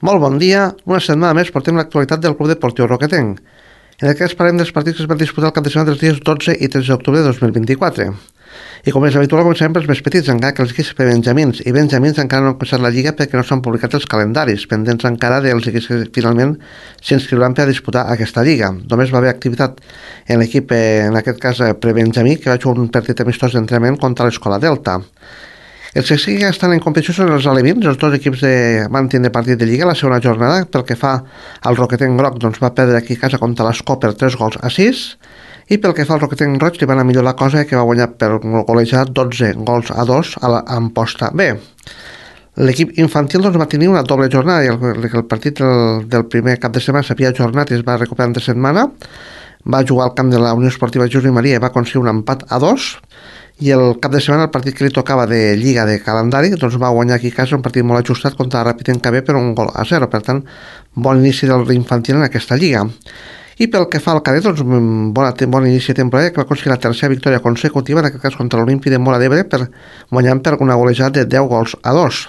Molt bon dia, una setmana més portem l'actualitat del Club Deportiu Roquetenc. En aquest parlem dels partits que es van disputar el cap de setmana dels dies 12 i 13 d'octubre de 2024. I com és habitual, començarem pels més petits, encara que els equips benjamins i benjamins encara no han començat la Lliga perquè no s'han publicat els calendaris, pendents encara dels equips que finalment s'inscriuran per a disputar aquesta Lliga. Només va haver activitat en l'equip, en aquest cas prebenjamí, que va jugar un partit amistós d'entrenament contra l'Escola Delta. Els que sí que estan en competició són els alevins, els dos equips van tindre partit de Lliga la segona jornada. Pel que fa al Roquetenc Groc, doncs va perdre aquí a casa contra l'Escó per 3-6, i pel que fa al Roquetenc Roig li va anar millor la cosa, que va guanyar per golejar 12-2 a Amposta B. L'equip infantil doncs, va tenir una doble jornada, i el partit del primer cap de setmana s'havia ajornat i es va recuperar entre setmana. Va jugar al camp de la Unió Esportiva Josep Maria i va aconseguir un empat a 2, i el cap de setmana el partit que li tocava de Lliga de calendari doncs va guanyar aquí a casa un partit molt ajustat contra la Ràpid KB per 1-0. Per tant, bon inici del infantil en aquesta Lliga. I pel que fa al cadet, doncs bon inici de temporada, que va aconseguir la tercera victòria consecutiva, en aquest cas contra l'Olímpic de Móra d'Ebre, guanyant per una golejada de 10-2.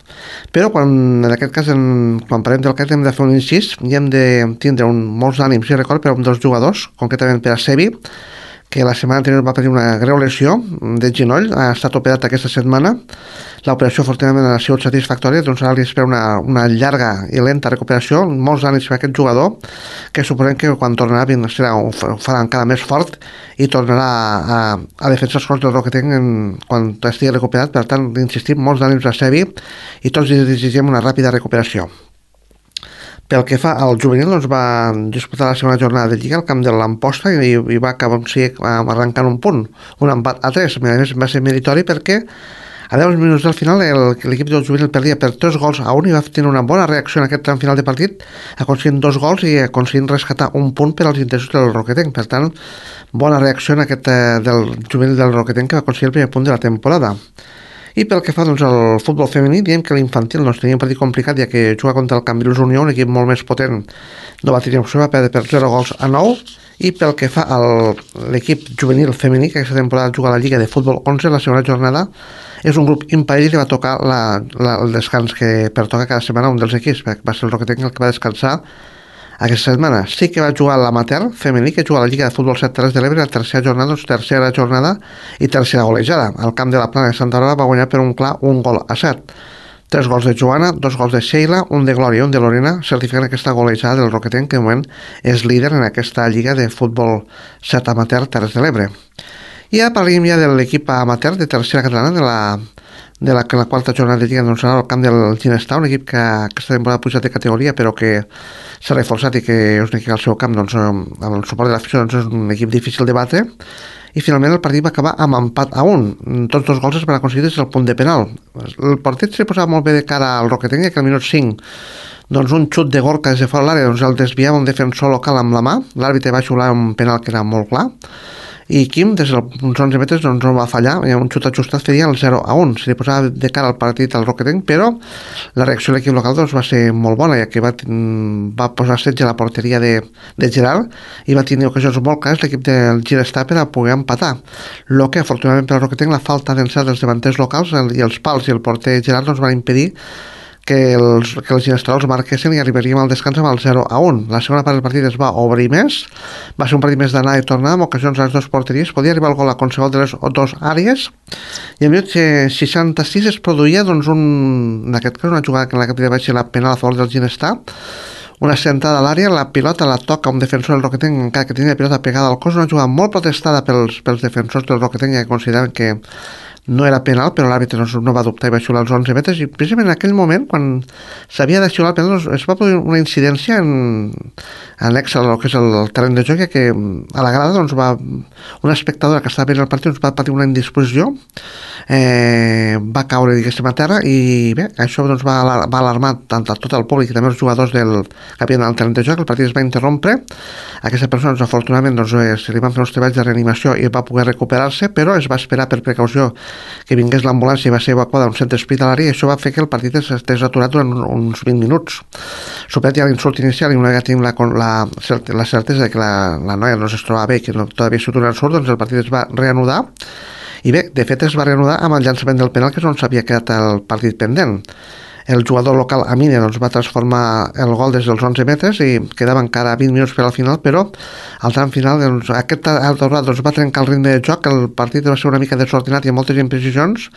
Però en aquest cas, quan parlem del cadet, hem de fer un incís i hem de tindre molts ànims i record per a un dels jugadors, concretament per a Sebi, que la setmana anterior va patir una greu lesió de genoll, ha estat operat aquesta setmana. L'operació afortunadament ha sigut satisfactòria, doncs ara li espera una llarga i lenta recuperació. Molts ànims per aquest jugador, que suposem que quan tornarà ho farà encara més fort i tornarà a defensar els colors del Roquetenc quan estigui recuperat. Per tant, insistim, molts ànims a Sebi i tots li desitgem una ràpida recuperació. Pel que fa al juvenil, doncs va disputar la segona jornada de Lliga al camp de l'Amposta i va acabar arrencant un punt, un empat a 3. A més, va ser meritori perquè a 10 minuts del final l'equip del juvenil perdia per 3-1 i va tenir una bona reacció en aquest tram final de partit, aconseguint 2 gols i aconseguint rescatar un punt per als interessos del Roquetenc. Per tant, bona reacció en aquest del juvenil del Roquetenc, que va aconseguir el primer punt de la temporada. I pel que fa doncs, al futbol femení, diem que l'infantil tenia un partit complicat, ja que juga contra el Cambrils Unió, un equip molt més potent, no va tenir opció, va perdre per 0-9. I pel que fa a l'equip juvenil femení, que aquesta temporada juga a la Lliga de Futbol 11, la segona jornada, és un grup imparell i li va tocar el descans que pertoca cada setmana un dels equips. Va ser el Roquetenc el que va descansar aquesta setmana. Sí que va jugar l'amateur femení, que juga a la Lliga de Futbol 7 Terres de l'Ebre, la tercera jornada i tercera golejada. Al camp de la Plana de Santa Aurora va guanyar per un clar 1-7. 3 gols de Joana, 2 gols de Sheila, un de Glòria i un de Lorena, certificant aquesta golejada del Roquetenc, que de moment és líder en aquesta Lliga de Futbol 7 amateur Terres de l'Ebre. I ja parlem de l'equip amateur de tercera catalana de la quarta jornada de Lliga, doncs serà al camp del Ginestar, un equip que aquesta temporada ha pujat de categoria però que s'ha reforçat i que és un equip al seu camp, doncs, amb el suport de l'afició, doncs és un equip difícil de batre. I finalment el partit va acabar amb empat a 1. Tots dos gols es van aconseguir des del punt de penal. El partit s'hi posava molt bé de cara al Roquetenc, que al minut 5 doncs un xut de Gorka des de fora l'àrea doncs el desviava un defensor local amb la mà. L'àrbitre va xiular un penal que era molt clar, i Quim des dels 11 metres doncs no va fallar, i un xut ajustat feia el 0-1. Se li posava de cara al partit al Roquetenc, però la reacció de l'equip local doncs va ser molt bona, ja que va posar setge a la porteria de Gerard i va tenir ocasions molt clares l'equip del Ginestar per a poder empatar. Lo que afortunadament per al Roquetenc, la falta d'encert dels davanters locals i els pals i el porter Gerard doncs van impedir que els ginestrals marquessin i arribaríem al descans amb el 0-1. La segona part del partit es va obrir més, va ser un partit més d'anar i tornar, amb ocasions a les dues porteries, podia arribar el gol a qualsevol de les dues àrees, i al minut 66 es produïa doncs, en aquest cas una jugada que en la que va ser la penal a favor del Ginestar, una sentada a l'àrea, la pilota la toca un defensor del Roquetenc, encara que tenia la pilota pegada al cos, una jugada molt protestada pels defensors del Roquetenc, que consideraven que no era penal, però l'àrbitre no va dubtar i va xiular els 11 metres, i precisament en aquell moment, quan s'havia de xiular el penal, es va produir una incidència annex al que és el terreny de joc, que a la grada doncs, una espectadora que estava veient el partit va patir una indisposició, va caure diguéssim a terra, i bé, això doncs, va alarmar tant a tot el públic i també els jugadors que havien al terreny de joc. El partit es va interrompre, aquesta persona doncs, afortunadament doncs, se li van fer uns treballs de reanimació i va poder recuperar-se, però es va esperar per precaució que vingués l'ambulància i va ser evacuada a un centre hospitalari, i això va fer que el partit estés aturat durant uns 20 minuts. Superat ja l'insult inicial i una vegada tenim la certesa de que la noia no es trobava bé, que no havia sigut un ensurt, doncs el partit es va reanudar, i bé, de fet es va reanudar amb el llançament del penal, que és on s'havia quedat el partit pendent. el jugador local Amine doncs, va transformar el gol des dels 11 metres i quedava encara 20 minuts per al final, però al tram final doncs, aquest aturat doncs, va trencar el ritme de joc, el partit va ser una mica desordenat i amb moltes imprecisions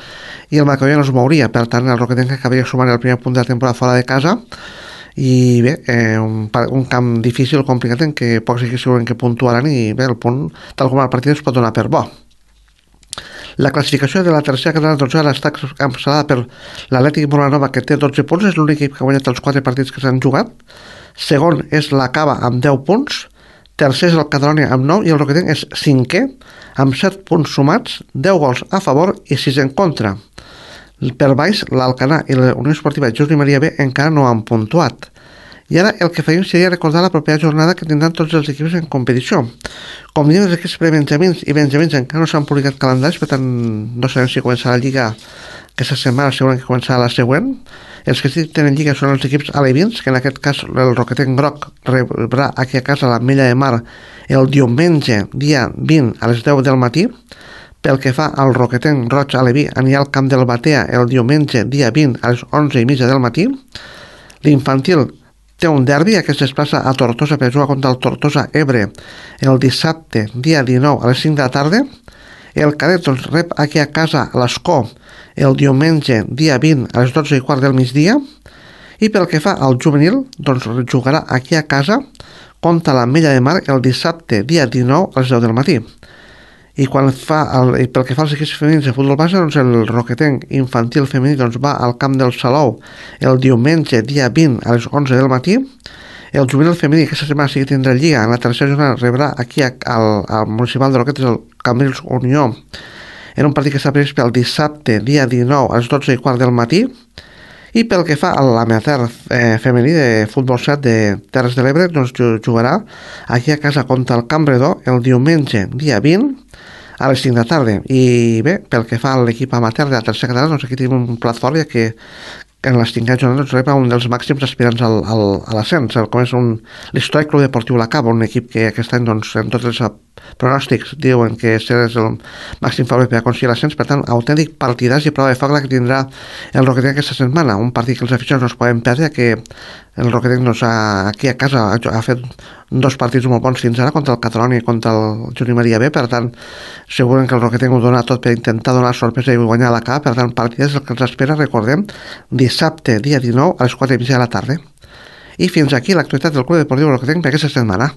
i el marcador no es mouria, per tant el Roquetenc acabaria sumant el primer punt de la temporada fora de casa i bé, un camp difícil, complicat en què pocs equips segurament que puntuaran i bé, el punt tal com el partit es pot donar per bo. La classificació de la tercera catalana doncs, ara està encapçalada per l'Atlètic Molanova, que té 12 punts, és l'únic equip que ha guanyat els 4 partits que s'han jugat. Segon és la Cava amb 10 punts, tercer és el Catalonia amb 9 i el Roquetenc és cinquè amb 7 punts sumats, 10 gols a favor i 6 en contra. Per baix, l'Alcanar i la Unió Esportiva Josep Maria B encara no han puntuat. I ara el que faríem seria recordar la propera jornada que tindran tots els equips en competició. Com diem, els equips prebenjamins i benjamins encara no s'han publicat calendaris, per tant no sabem si començarà la Lliga aquesta setmana, segurament que començarà la següent. Els que sí tenen Lliga són els equips alevins, que en aquest cas el Roquetenc Groc rebrà aquí a casa la Mella de Mar el diumenge, dia 20 a les 10 del matí. Pel que fa al Roquetenc Roig Aleví, anirà al camp del Batea el diumenge, dia 20 a les 11:30 del matí. L'infantil té un derbi, aquest es desplaça a Tortosa per jugar contra el Tortosa Ebre el dissabte, dia 19 a les 5 de la tarda. El cadet doncs, rep aquí a casa l'Escó el diumenge, dia 20 a les 12:15 del migdia. I pel que fa al juvenil, doncs jugarà aquí a casa contra la Mella de Mar el dissabte, dia 19 a les 10 del matí. I pel que fa als equips femenins de futbol base, doncs el Roquetenc infantil femení doncs va al camp del Salou el diumenge, dia 20 a les 11 del matí. El juvenil femení aquesta setmana sí que tindrà Lliga, en la tercera jornada rebrà aquí al municipal de Roquetes el Cambrils Unió en un partit que està previst pel dissabte, dia 19 a les 12:15 del matí. I pel que fa a l'amateur femení de futbol 7 de Terres de l'Ebre, doncs jugarà aquí a casa contra el Campredó el diumenge, dia 20 a les 5 de la tarda. I bé, pel que fa a l'equip amateur de la tercera catalana, doncs aquí tenim un plat fort, ja que en les 5 jornades rep un dels màxims aspirants a l'ascens, com és l'Històric Club Deportiu La Cava, un equip que aquest any doncs, en tots els pronòstics diuen que és el màxim favorit per aconseguir l'ascens. Per tant, autèntic partidàs i prova de foc la que tindrà el Roquetenc aquesta setmana, un partit que els aficionats no es poden perdre, que el Roquetenc doncs, aquí a casa ha fet 2 partits molt bons fins ara, contra el Catalonia i contra el Josep Maria B. Per tant, segurament que el Roquetenc ho dona tot per intentar donar sorpresa i guanyar la Cava. Per tant, partidàs el que ens espera, recordem, dissabte, dia 19 a les 4:30 de la tarda. I fins aquí l'actualitat del Club Deportiu Roquetenc per aquesta setmana.